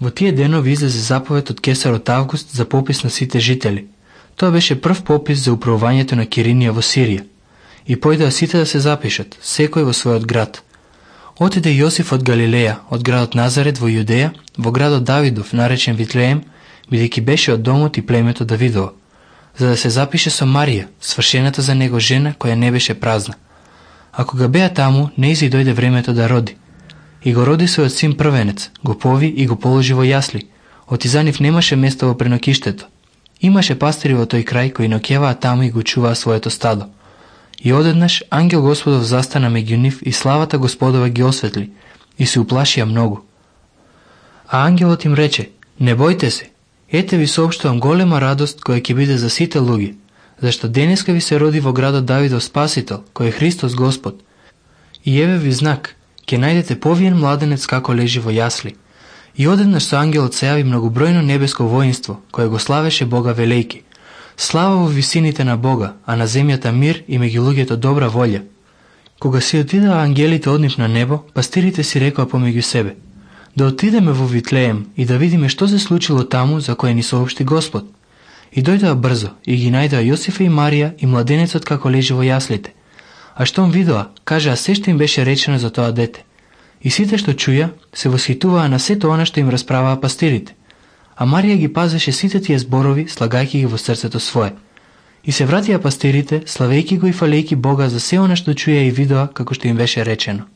Во тие денови излезе заповед од кесарот Август за попис на сите жители. Тоа беше прв попис за управувањето на Киринија во Сирија. И појдоа сите да се запишат, секој во својот град. Отиде Јосиф од Галилеја, од градот Назарет во Јудеја, во градот Давидов, наречен Витлеем, бидејќи беше од домот и племето Давидово, за да се запише со Марија, свршената за него жена, која не беше празна. А кога беа таму, нејзи дојде времето да роди. И го роди својот син првенец, го пови и го положи во јасли, оти за нив немаше место во пренокиштето. Имаше пастири во тој крај кои ноќеваа таму и го чуваа своето стадо. И одеднаш ангел Господов застана меѓу нив и славата Господова ги осветли, и се уплашија многу. А ангелот им рече: не бојте се, ете ви соопштувам голема радост која ќе биде за сите луѓе, зашто денеска ви се роди во градот Давидов Спасител, кој е Христос Господ. И еве ви знак, ќе најдете повиен младенец како лежи во јасли. И одеднаш со ангелот се јави многобројно небеско воинство, кое го славеше Бога велејки. Слава во висините на Бога, а на земјата мир и меѓу луѓето добра волја. Кога си отидаа ангелите од нив на небо, пастирите си рекоа помеѓу себе: да отидеме во Витлеем и да видиме што се случило таму за кое ни соопшти Господ. И дојдоа брзо и ги најдоа Јосифа и Марија и младенецот како лежи во јаслите. А штом видоа, кажаа се што им беше речено за тоа дете. И сите што чуја, се восхитуваа на сето она што им расправаа пастирите. А Марија ги пазеше сите тие зборови, слагајќи ги во срцето свое. И се вратија пастирите, славејќи го и фалејќи Бога за се она што чуја и видоа како што им беше речено.